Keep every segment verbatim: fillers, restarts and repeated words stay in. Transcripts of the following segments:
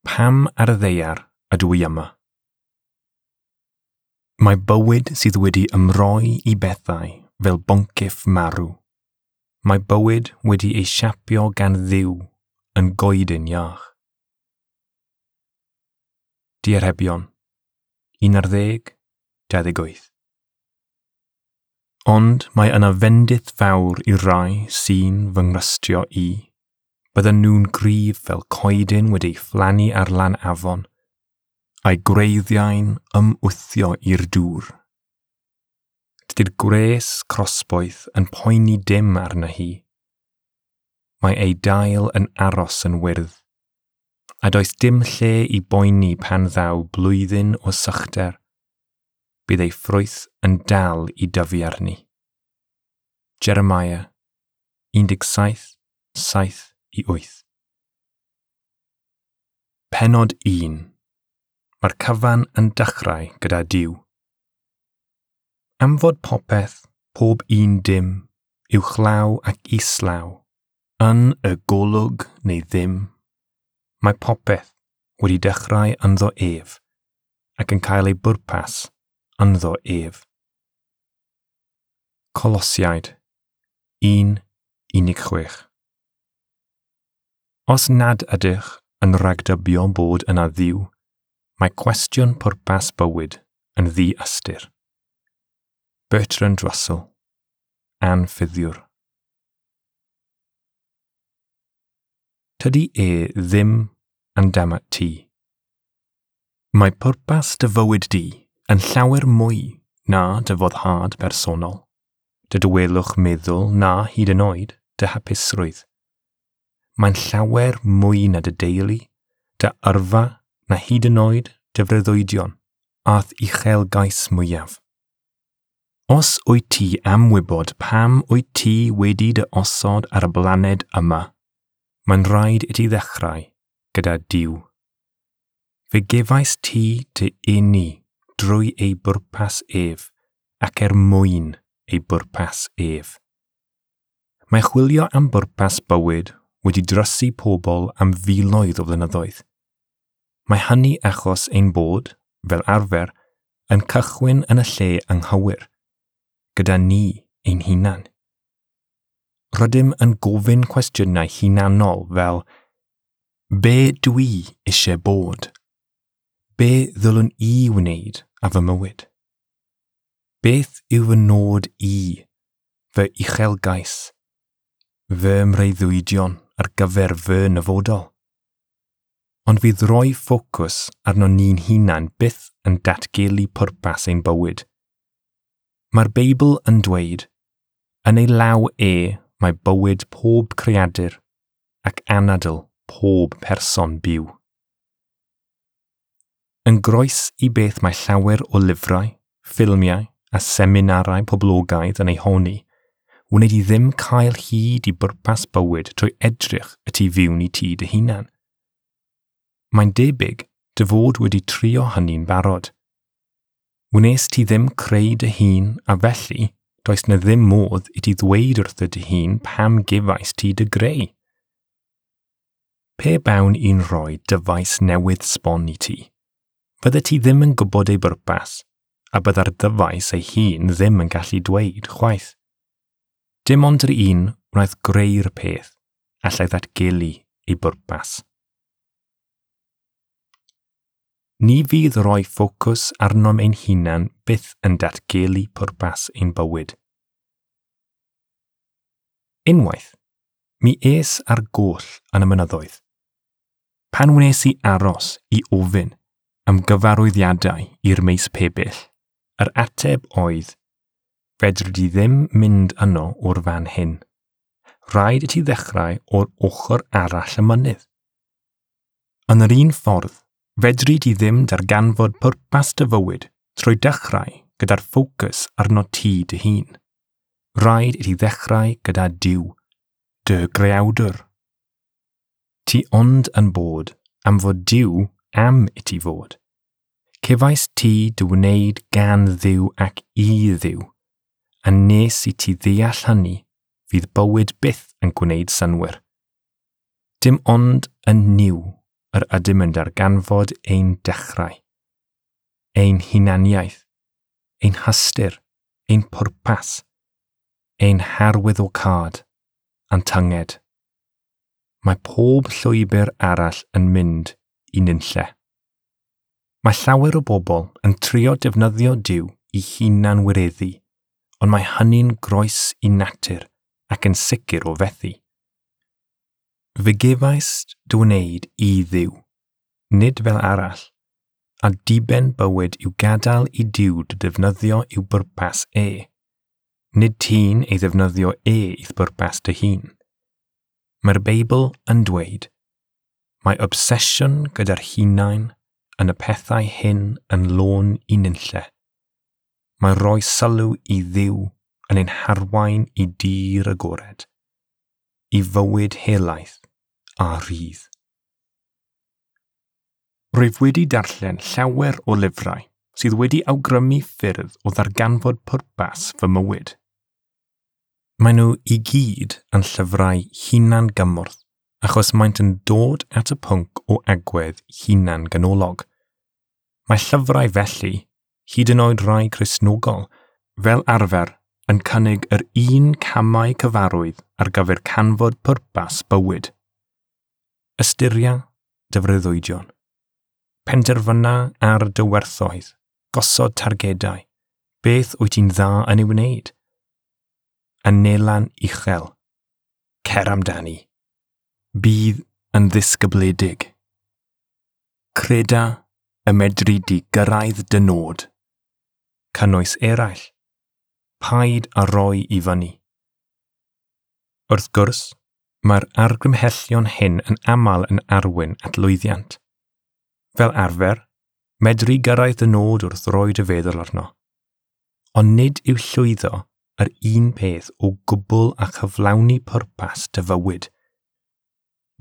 Pam ar y ddaear ydw i yma? Mae bywyd sydd wedi ymroi i bethau fel boncyff marw. Mae bywyd wedi ei siapio gan Dduw yn goeden iach. Diarhebion, un ar ddeg, dau ddeg wyth. Ond mae yna fendith fawr i'r rai sy'n fy ngrystio i. Bydden nhw'n gryf fel coeden wedi'i phlannu ar lan afon, a'i gwreiddiau'n ymwthio i'r dŵr. Dydy'r gwres crosboeth yn poeni dim arna hi. Mae ei dail yn aros yn wyrdd, a does dim lle i boeni pan ddaw blwyddyn o sychder. Bydd ei ffrwyth yn dal i dyfu arni. Jeremiah un deg saith, saith i wyth. Pennod un. Mae'r cyfan yn dechrau gyda Duw. Am fod popeth, pob un dim, uwchlaw ac islaw, yn y golwg neu ddim, mae popeth wedi dechrau ynddo ef, ac yn cael ei bwrpas ynddo ef. Colosiaid un unig chwech. Os nad ydych yn rhagdybio bod yna Dduw, mae cwestiwn pwrpas bywyd yn ddi-ystyr. Bertrand Russell, Anffyddiwr. Tydi e ddim yn damat ti. Mae pwrpas dy fywyd di yn llawer mwy na dy foddhad personol, dy dawelwch meddwl na hyd yn oed dy hapusrwydd. Mae'n llawer mwy na dy deulu, dy yrfa na hyd yn oed dy freuddwydion a'th uchelgais mwyaf. Os wyt ti am wybod pam wyt ti wedi dy osod ar y blaned yma, mae'n rhaid i ti ddechrau gyda Duw. Fe gefais ti dy eni drwy ei bwrpas ef ac er mwyn ei bwrpas ef. Mae chwilio am bwrpas bywyd wedi drysu pobl am filoedd o flynyddoedd. Mae hynny achos ein bod, fel arfer, yn cychwyn yn y lle anghywir, gyda ni ein hunan. Rydym yn gofyn cwestiynau hunanol fel be dwi eisiau bod? Be ddylwn i wneud â fy mywyd? Beth yw fy nod i, fy uchelgais, fy mreuddwydion ar gyfer fy nyfodol? Ond fydd roi ffocws arno ni'n hunan byth yn datgelu pwrpas ein bywyd. Mae'r Beibl yn dweud, yn ei law e mae bywyd pob creadur ac anadl pob person byw. Yn groes i beth mae llawer o lyfrau, ffilmiau a seminarau poblogaidd yn ei honni, wneud i ddim cael hyd i bwrpas bywyd trwy edrych y tu fewn i ti dy hunan. Mae'n debyg dy fod wedi trio hynny'n barod. Wnes ti ddim creu dy hun a felly does na ddim modd i ti ddweud wrtho dy hun pam gefais ti dy greu. Pe bawn i'n rhoi dyfais newydd sbon i ti, fydde ti ddim yn gwybod ei bwrpas, a bydda'r ddyfais ei hun ddim yn gallu dweud chwaith. Dim ond yr un wnaeth greu'r peth allai ddatgelu ei bwrpas. Ni fydd roi ffocws arnom ein hunan byth yn datgelu pwrpas ein bywyd. Unwaith, mi es ar goll yn y mynyddoedd. Pan wnes i aros i ofyn am gyfarwyddiadau i'r maes pebyll, yr ateb oedd, fedri di ddim mynd yno o'r fan hyn. Rhaid i ti ddechrau o'r ochr arall y mynydd. Yn yr un ffordd, fedri di ddim darganfod pwrpas dy fywyd trwy dechrau gyda'r ffocws arno ti dy hun. Rhaid i ti ddechrau gyda Duw, dy greawdwr. Ti ond yn bod am fod Duw am i ti fod. Cefais ti dy wneud gan Dduw ac i Dduw, a nes i ti ddeall hynny fydd bywyd byth yn gwneud synnwyr. Dim ond yn Nuw yr ydym yn darganfod ein dechrau, ein hunaniaeth, ein hystyr, ein pwrpas, ein harwyddocâd a'n tynged. Mae pob llwybr arall yn mynd i nunlle. Mae llawer o bobl yn trio defnyddio Duw i hunan wireddu, ond mae hynny'n groes i natur ac yn sicr o fethu. Fe gefais dy wneud i Dduw, nid fel arall, a diben bywyd yw gadael i Duw dy ddefnyddio i'w bwrpas e. Nid ti'n ei ddefnyddio e i'th bwrpas dy hun. Mae'r Beibl yn dweud, mae obsesiwn gyda'r hunain yn y pethau hyn yn lôn i nunlle. Mae rhoi sylw i Dduw yn ein harwain i dir agored, i fywyd helaeth a rhydd. Rwyf wedi darllen llawer o lyfrau sydd wedi awgrymu ffyrdd o ddarganfod pwrpas fy mywyd. Maen nhw i gyd yn llyfrau hunan gymorth achos maent yn dod at y pwnc o agwedd hunan ganolog. Mae llyfrau felly, hyd yn oed rai Cristnogol, fel arfer yn cynnig yr un camau cyfarwydd ar gyfer canfod pwrpas bywyd. Ystyria dy freuddwydion. Penderfyna ar dy werthoedd, gosod targedau, beth wyt ti'n dda yn ei wneud? Anelan uchel. Cer amdani. Bydd yn ddisgybledig. Creda y medru di gyrraedd dy nod. Cynnwys eraill. Paid a roi i fyny. Wrth gwrs, mae'r argymhellion hyn yn aml yn arwain at lwyddiant. Fel arfer, medru gyrraedd y nod wrth roi dy feddwl arno. Ond nid yw llwyddo yr un peth o gwbl a chyflawni pwrpas dy fywyd.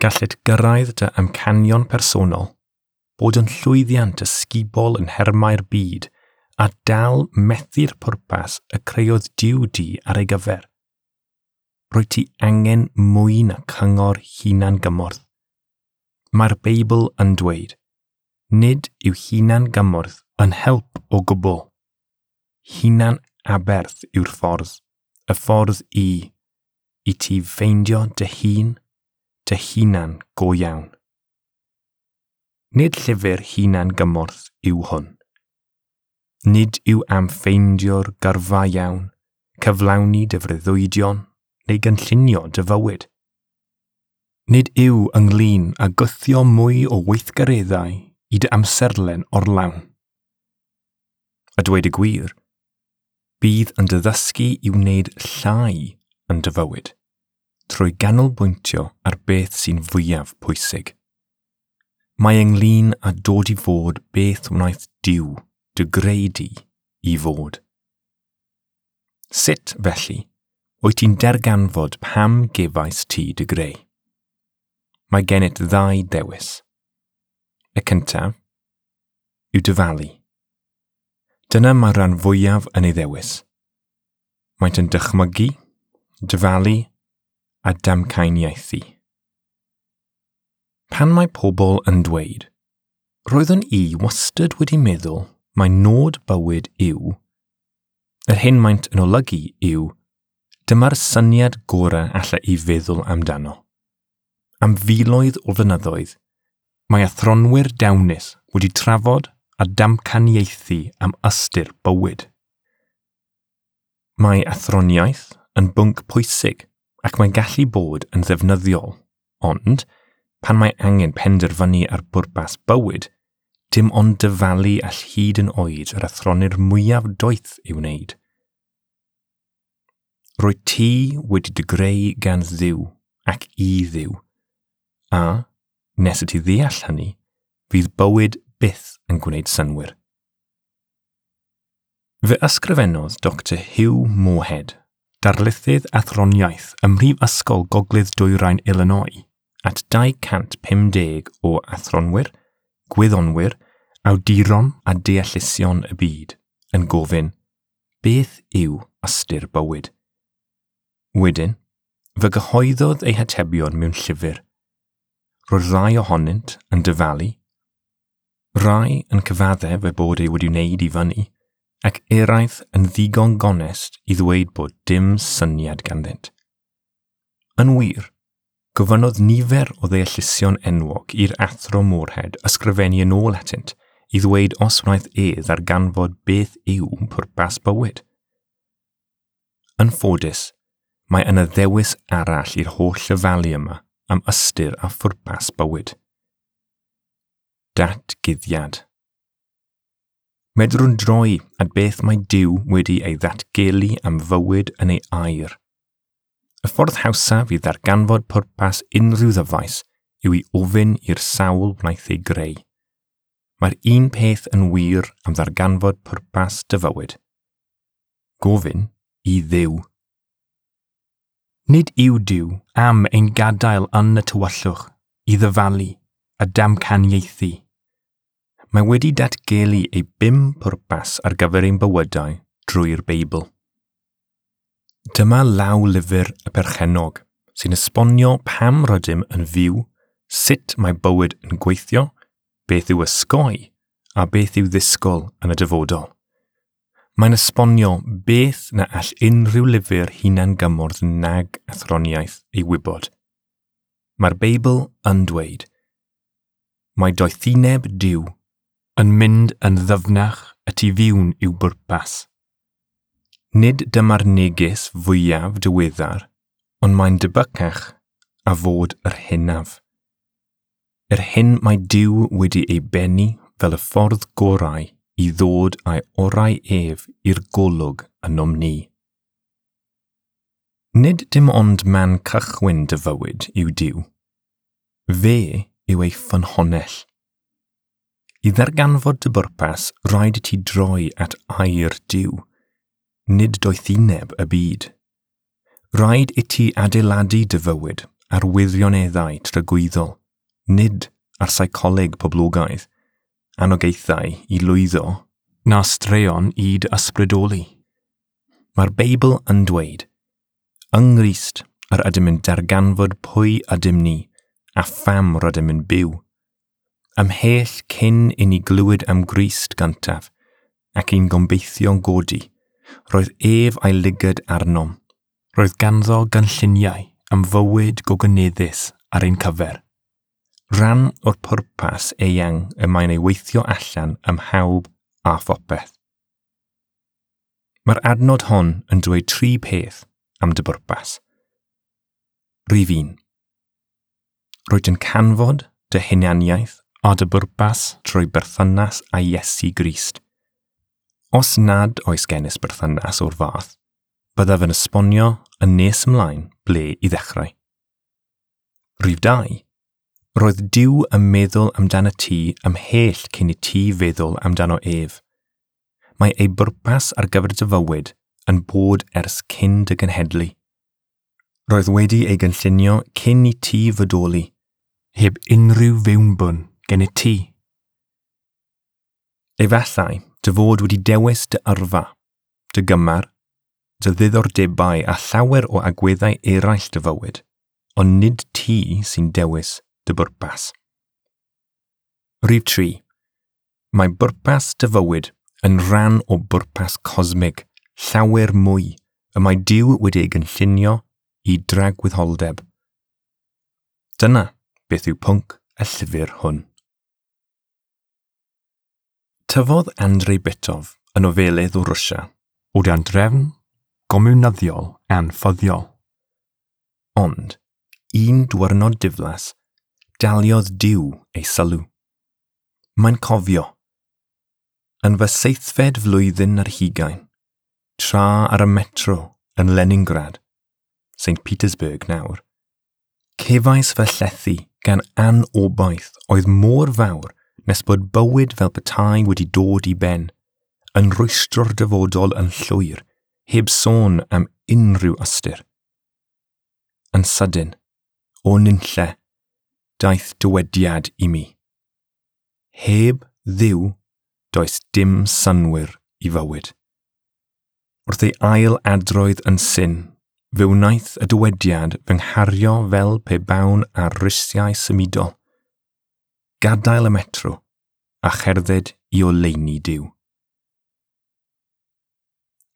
Gallet gyrraedd dy amcanion personol, bod yn llwyddiant ysgubol yn nhermau'r byd a dal methu'r pwrpas y creodd Duw di ar ei gyfer. Rwyt ti angen mwy na cyngor hunan gymorth. Mae'r Beibl yn dweud, nid yw hunan gymorth yn help o gwbl. Hunan aberth yw'r ffordd, y ffordd i, i ti ffeindio dy hun, dy hunan go iawn. Nid llyfr hunan gymorth yw hwn. Nid yw am ffeindio'r gyrfa iawn, cyflawni dy freuddwydion neu gynllunio dy fywyd. Nid yw ynglyn â gwthio mwy o weithgareddau i dy amserlen orlawn. A dweud y gwir, bydd yn dy ddysgu i wneud llai yn dy fywyd, trwy ganolbwyntio ar beth sy'n fwyaf pwysig. Mae ynglyn â dod i fod beth wnaeth Duw dy greu di i fod. Sut, felly, wyt ti'n darganfod pam gefais ti dy greu? Mae gennyt ddau ddewis. Y cyntaf yw dyfalu. Dyna mae'r rhan fwyaf yn ei ddewis. Maent yn dychmygu, dyfalu a damcaniaethu. Pan mae pobl yn dweud, roeddwn i wastad wedi meddwl mai nod bywyd yw, yr hyn maent yn olygu yw, dyma'r syniad gorau alla i feddwl amdano. Am filoedd o flynyddoedd, mae athronwyr dawnus wedi trafod a damcaniaethu am ystyr bywyd. Mae athroniaeth yn bwnc pwysig ac mae'n gallu bod yn ddefnyddiol, ond pan mae angen penderfynu ar bwrpas bywyd, dim ond dyfalu all hyd yn oed yr athronwyr mwyaf doeth ei wneud. Rwyt ti wedi dy greu gan Dduw ac i Dduw, a, nes i ti ddeall hynny, fydd bywyd byth yn gwneud synnwyr. Fe ysgrifennodd Doctor Hugh Moorhead, darlithydd athroniaeth ym Mhrifysgol Gogledd Dwyrain Illinois, at dau cant pum deg o athronwyr, gwyddonwyr, awduron a deallusion y byd, yn gofyn, beth yw ystyr bywyd? Wedyn, fe gyhoeddodd ei hatebion mewn llyfr. Roedd rai ohonynt yn dyfalu, rai yn cyfaddef eu bod eu wedi wneud i fyny, ac eraill yn ddigon gonest i ddweud bod dim syniad ganddynt. Yn wir, gofynnodd nifer o ddeallusion enwog i'r athro Moorhead ysgrifennu yn ôl atynt i ddweud os wnaeth e ddarganfod beth yw pwrpas bywyd. Yn ffodus, mae yna ddewis arall i'r holl ddyfalu yma am ystyr a phwrpas bywyd. Datguddiad. Medrwn droi at beth mae Duw wedi ei ddatgelu am fywyd yn ei air. Y ffordd hawsaf i ddarganfod pwrpas unrhyw ddyfais yw i ofyn i'r sawl wnaeth ei greu. Mae'r un peth yn wir am ddarganfod pwrpas dy fywyd. Gofyn i Dduw. Nid yw Duw am ein gadael yn y tywyllwch i ddyfalu a damcaniaethu. Mae wedi datgelu ei bum pwrpas ar gyfer ein bywydau drwy'r Beibl. Dyma lawlyfr y perchennog sy'n esbonio pam rydym yn fyw, sut mae bywyd yn gweithio, beth yw ysgoi a beth yw ddisgwyl yn y dyfodol. Mae'n esbonio beth na all unrhyw lyfr hunan-gymorth nag athroniaeth ei wybod. Mae'r Beibl yn dweud, mae doethineb Duw yn mynd yn ddyfnach y tu fewn i'w bwrpas. Nid dyma'r neges fwyaf diweddar, ond mae'n debycach a fod yr hynaf. Yr hyn mae Duw wedi ei bennu fel y ffordd gorau i ddod â'i orau ef i'r golwg ynom ni. Nid dim ond man cychwyn dy fywyd yw Duw. Fe yw ei ffynhonnell. I ddarganfod dy bwrpas, rhaid i ti droi at air Duw, nid doethineb y byd. Rhaid i ti adeiladu dy fywyd ar wirioneddau tragwyddol, nid ar seicoleg poblogaidd, anogaethau i lwyddo, na straeon i dy ysbrydoli. Mae'r Beibl yn dweud, yng Nghrist yr ydym yn darganfod pwy ydym ni a pham rydym yn byw. Ymhell cyn i ni glywed am Grist gyntaf ac i'n gobeithio'n godi, roedd ef a'i lygad arnom. Roedd ganddo gynlluniau am fywyd gogoneddus ar ein cyfer. Rhan o'r pwrpas eang y mae'n ei weithio allan ym mhawb a phopeth. Mae'r adnod hon yn dweud tri peth am dy bwrpas. Rhif un. Rwyt yn canfod dy hunaniaeth a dy bwrpas trwy berthynas â Iesu Grist. Os nad oes genys berthynas o'r fath, byddaf yn esbonio yn nes ymlaen ble i ddechrau. Rhif dau. Roedd Duw yn meddwl amdano ti ymhell cyn i ti feddwl amdano ef. Mae ei bwrpas ar gyfer dy fywyd yn bod ers cyn dy genhedlu. Roedd wedi ei gynllunio cyn i ti fodoli, heb unrhyw fewnbwn gen i ti. Efallai dy fod wedi dewis dy yrfa, dy gymar, dy ddiddordebau a llawer o agweddau eraill dy fywyd, ond nid ti sy'n dewis dy bwrpas. Rhif tri. Mae bwrpas dy fywyd yn rhan o bwrpas cosmig, llawer mwy, y mae Duw wedi ei gynllunio i dragwyddoldeb. Dyna beth yw pwnc y llyfr hwn. Tyfodd Andrei Bitov yn nofelydd o Rwsia, o dan drefn gomiwnyddiol anffyddiol. Ond, un diwrnod diflas, daliodd Duw ei sylw. Mae'n cofio. Yn fy seithfed flwyddyn ar hugain, tra ar y metro yn Leningrad, Saint Petersburg nawr, cefais fy llethu gan anobaith oedd mor fawr nes bod bywyd fel petai wedi dod i ben, yn rwystro'r dyfodol yn llwyr, heb sôn am unrhyw ystyr. Yn sydyn, o nunlle, daeth dywediad i mi. Heb Dduw, does dim synnwyr i fywyd. Wrth ei ail adroedd yn syn, fe wnaeth y dywediad fy nghario fel pe bawn ar risiau symudol, Gadael y metro a cherdded i oleuni Duw.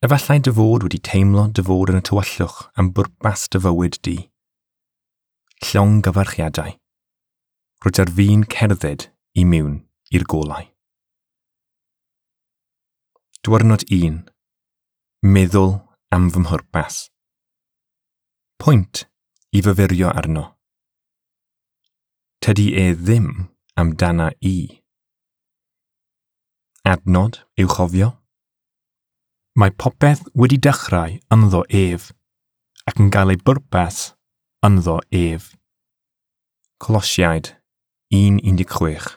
Efallai dy fod wedi teimlo dy fod yn y tywyllwch am bwrpas dy fywyd di. Llongyfarchiadau. Rwyt ar fin cerdded i mewn i'r golau. Diwrnod un. Meddwl am fy mhwrpas. Pwynt i fyfyrio arno. Tydi e ddim amdana i. Adnod i'w chofio. Mae popeth wedi dechrau ynddo ef, ac yn cael ei bwrpas ynddo ef. Colosiaid un un deg chwech.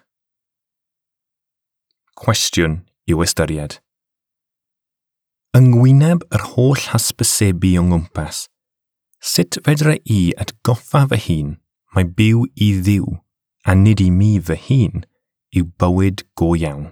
Cwestiwn i'w ystyried. Yng ngwyneb yr holl hysbysebu o ngwmpas, sut fedra i atgoffa fy hun mai byw i Dduw a nid i mi fy hun yw bywyd go iawn?